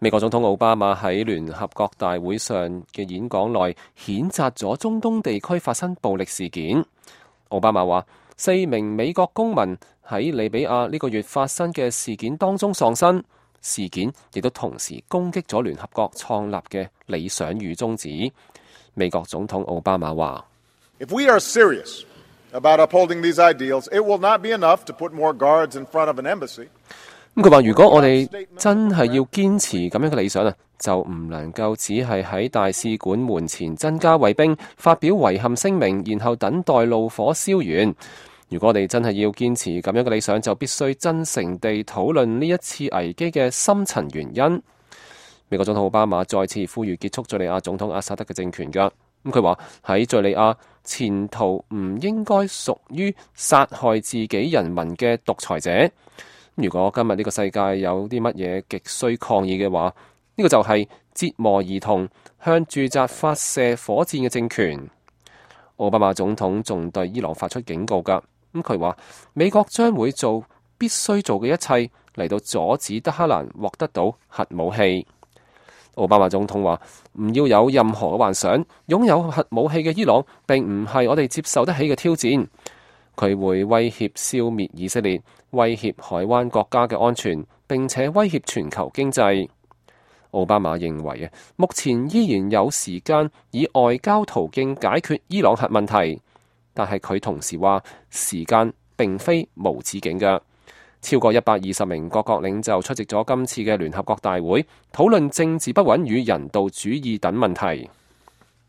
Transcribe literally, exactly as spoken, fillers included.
美國總統奧巴馬喺聯合國大會上嘅演講內譴責咗中東地區發生暴力事件。奧巴馬話，四名美國公民喺利比亞呢個月發生嘅事件當中喪生，事件亦都同時攻擊咗聯合國創立嘅理想與宗旨。美國總統奧巴馬話：If we are serious about upholding these ideals, it will not be enough to put more guards in front of an embassy. 咁佢話：如果我哋真係要堅持咁樣嘅理想啊，就唔能夠只係喺大使館門前增加衛兵，發表遺憾聲明，然後等待怒火燒完。如果我哋真係要堅持咁樣嘅理想，就必須真誠地討論呢一次危機嘅深層原因。美國總統奧巴馬再次呼籲結束敘利亞總統阿薩德嘅政權㗎。咁佢話喺敘利亞前途唔應該屬於殺害自己人民嘅獨裁者。如果今日呢個世界有啲乜嘢極需抗議嘅話，呢、這個就係折磨兒童、向住宅發射火箭嘅政權。奧巴馬總統仲對伊朗發出警告㗎。咁佢話美國將會做必須做嘅一切嚟到阻止德黑蘭獲得到核武器。奧巴馬總統話唔要有任何嘅幻想，擁有核武器嘅伊朗並唔係我哋接受得起嘅挑戰。佢會威脅消滅以色列，威脅海灣國家嘅安全，並且威脅全球經濟。奧巴馬認為啊，目前依然有時間以外交途徑解決伊朗核問題，但係佢同時話時間並非無止境嘅。超過一百二十名各國領袖出席咗今次嘅聯合國大會，討論政治不穩與人道主義等問題。